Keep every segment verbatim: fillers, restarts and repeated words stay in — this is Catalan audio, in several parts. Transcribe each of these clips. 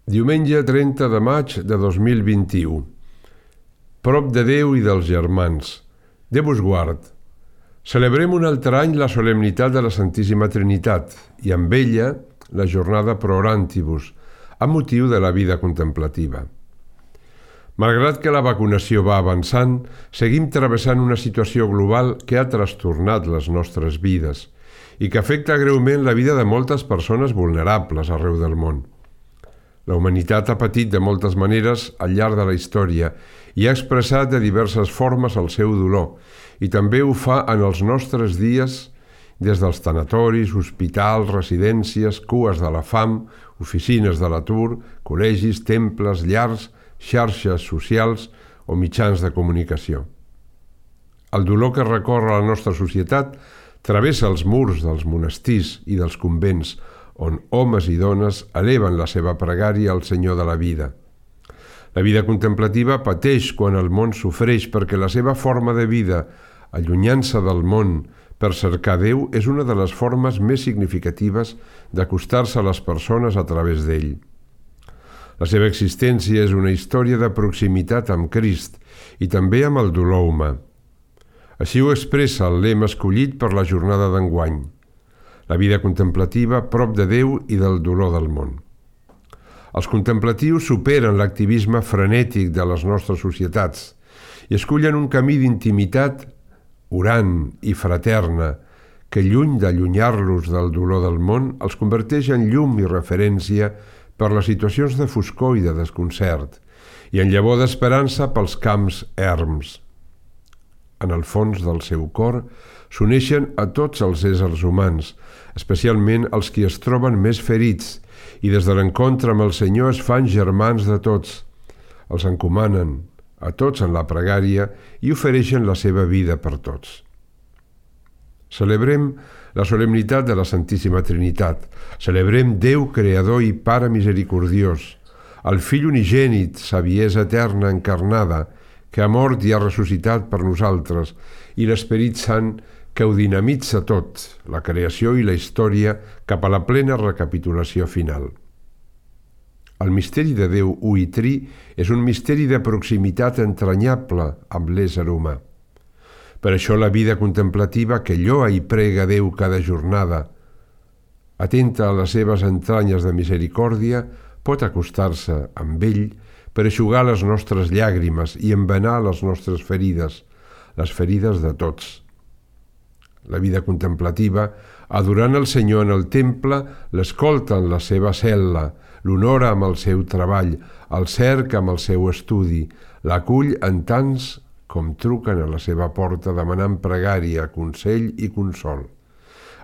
Diumenge trenta de maig de dos mil vint-i-u. Prop de Déu i dels germans. Déu vos guard. Celebrem un altre any la solemnitat de la Santíssima Trinitat i amb ella la jornada Pro Orantibus, amb motiu de la vida contemplativa. Malgrat que la vacunació va avançant, seguim travessant una situació global que ha trastornat les nostres vides i que afecta greument la vida de moltes persones vulnerables arreu del món. La humanitat ha patit de moltes maneres al llarg de la història i ha expressat de diverses formes el seu dolor, i també ho fa en els nostres dies des dels tanatoris, hospitals, residències, cues de la fam, oficines de l'atur, col·legis, temples, llars, xarxes socials o mitjans de comunicació. El dolor que recorre la nostra societat travessa els murs dels monestirs i dels convents, on homes i dones eleven la seva pregària al Senyor de la vida. La vida contemplativa pateix quan el món sofreix perquè la seva forma de vida, allunyant-se del món per cercar Déu, és una de les formes més significatives d'acostar-se a les persones a través d'ell. La seva existència és una història de proximitat amb Crist i també amb el dolor humà. Així ho expressa el lema escollit per la jornada d'enguany: la vida contemplativa prop de Déu i del dolor del món. Els contemplatius superen l'activisme frenètic de les nostres societats i escullen un camí d'intimitat orant i fraterna que, lluny d'allunyar-los del dolor del món, els converteix en llum i referència per les situacions de foscor i de desconcert i en llavor d'esperança pels camps erms. En el fons del seu cor s'uneixen a tots els éssers humans, especialment els qui es troben més ferits, i des de l'encontre amb el Senyor es fan germans de tots. Els encomanen a tots en la pregària i ofereixen la seva vida per tots. Celebrem la solemnitat de la Santíssima Trinitat. Celebrem Déu Creador i Pare Misericordiós, el Fill unigènit, saviesa eterna encarnada, que ha mort i ha ressuscitat per nosaltres, i l'Esperit Sant, que ho dinamitza tot, la creació i la història, cap a la plena recapitulació final. El misteri de Déu u i tri és un misteri de proximitat entranyable amb l'ésser humà. Per això la vida contemplativa que lloa i prega Déu cada jornada, atenta a les seves entranyes de misericòrdia, pot acostar-se amb ell per eixugar les nostres llàgrimes i embenar les nostres ferides, les ferides de tots. La vida contemplativa, adorant el Senyor en el temple, l'escolta en la seva cel·la, l'honora amb el seu treball, el cerca amb el seu estudi, l'acull en tants com truquen a la seva porta demanant pregària, consell i consol.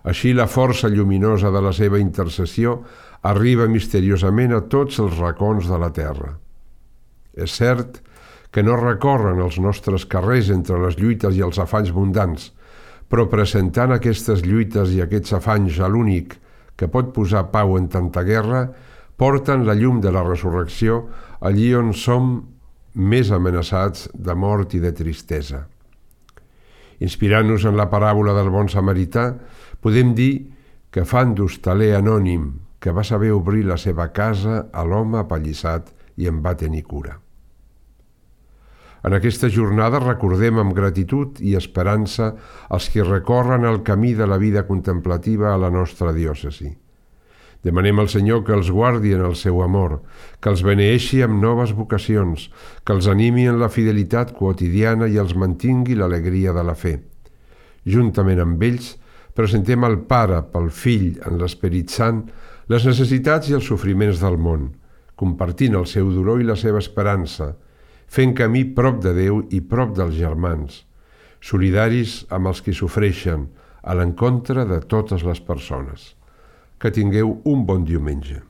Així la força lluminosa de la seva intercessió arriba misteriosament a tots els racons de la terra. És cert que no recorren els nostres carrers entre les lluites i els afanys mundans, però presentant aquestes lluites i aquests afanys a l'únic que pot posar pau en tanta guerra, porten la llum de la resurrecció allí on som més amenaçats de mort i de tristesa. Inspirant-nos en la paràbola del bon samarità, podem dir que fan d'hostaler anònim que va saber obrir la seva casa a l'home apallissat i en va tenir cura. En aquesta jornada recordem amb gratitud i esperança els qui recorren el camí de la vida contemplativa a la nostra diòcesi. Demanem al Senyor que els guardi en el seu amor, que els beneeixi amb noves vocacions, que els animi en la fidelitat quotidiana i els mantingui l'alegria de la fe. Juntament amb ells, presentem al Pare, pel Fill, en l'Esperit Sant, les necessitats i els sofriments del món, compartint el seu dolor i la seva esperança, fent camí prop de Déu i prop dels germans, solidaris amb els qui sofreixen, a l'encontre de totes les persones. Que tingueu un bon diumenge.